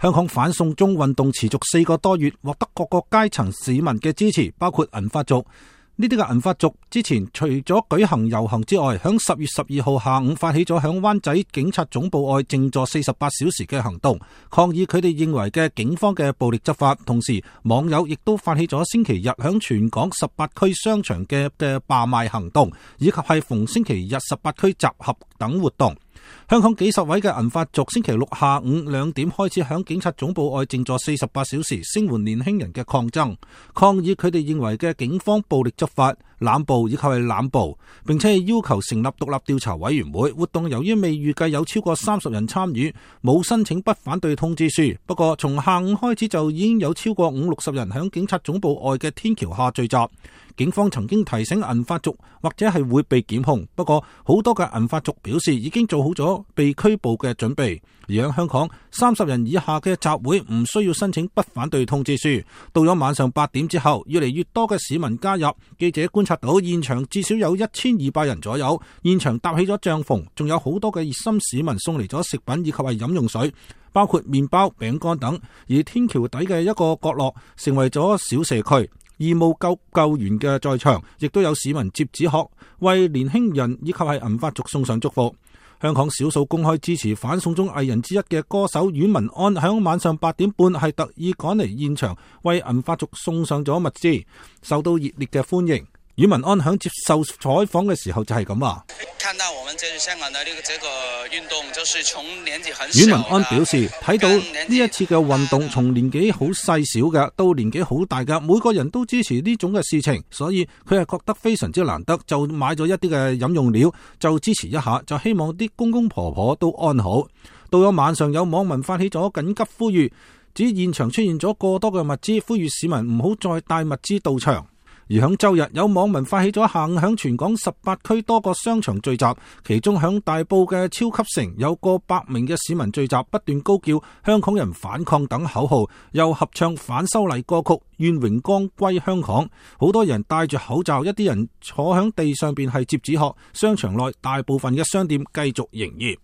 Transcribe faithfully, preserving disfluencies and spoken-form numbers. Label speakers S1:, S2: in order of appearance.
S1: 香港反送中運動持續四個多月，獲得各個階層市民嘅支持，包括銀髮族。呢啲嘅銀髮族之前除咗舉行遊行之外，響十月十二號下午發起咗響灣仔警察總部外靜坐四十八小時嘅行動，抗議佢哋認為嘅警方嘅暴力執法。同時，網友亦都發起咗星期日響全港十八區商場嘅嘅罷賣行動，以及係逢星期日十八區集合等活動。香港幾十位嘅銀髮族星期六下午兩點開始響警察總部外靜坐四十八小時，聲援年輕人嘅抗爭，抗議佢哋認為嘅警方暴力執法、濫捕以及係濫捕，並且係要求成立獨立調查委員會。活動由於未預計有超過三十人參與，冇申請不反對通知書。不過從下午開始就已經有超過五六十人響警察總部外嘅天橋下聚集。警方曾經提醒銀髮族或者係會被檢控，不過好多嘅銀髮族表示已經做好咗被拘捕嘅準備。而喺香港，三十人以下嘅集會唔需要申請不反對通知書。到咗晚上八點之後，越嚟越多嘅市民加入。記者觀察到現場至少有一千二百人左右，現場搭起咗帳篷，仲有好多嘅熱心市民送嚟咗食品以及係飲用水，包括麵包、餅乾等。而天橋底嘅一個角落成為咗小社區。義務救救援嘅在場，亦都有市民接紙鶴為年輕人以及係銀髮族送上祝福。香港少數公開支持反送中藝人之一嘅歌手阮文安，喺晚上八點半係特意趕嚟現場為銀髮族送上咗物資，受到熱烈嘅歡迎。阮文安響接受採訪嘅時候就係咁話：
S2: 看到我們這個香港的呢個這個運動，就是從年紀很小。
S1: 阮文安表示，睇到呢一次嘅運動，從年紀好細小嘅到年紀好大嘅，每個人都支持呢種嘅事情，所以佢係覺得非常之難得，就買咗一啲嘅飲用料，就支持一下，就希望啲公公婆婆都安好。到咗晚上，有網民發起咗緊急呼籲，指現場出現咗過多嘅物資，呼籲市民唔好再帶物資到場。而響周日，有網民發起咗下午響全港十八區多個商場聚集，其中響大埔嘅超級城有過百名嘅市民聚集，不斷高叫香港人反抗等口號，又合唱反修例歌曲，願榮光歸香港。好多人戴住口罩，一啲人坐響地上邊係摺紙鶴。商場內大部分嘅商店繼續營業。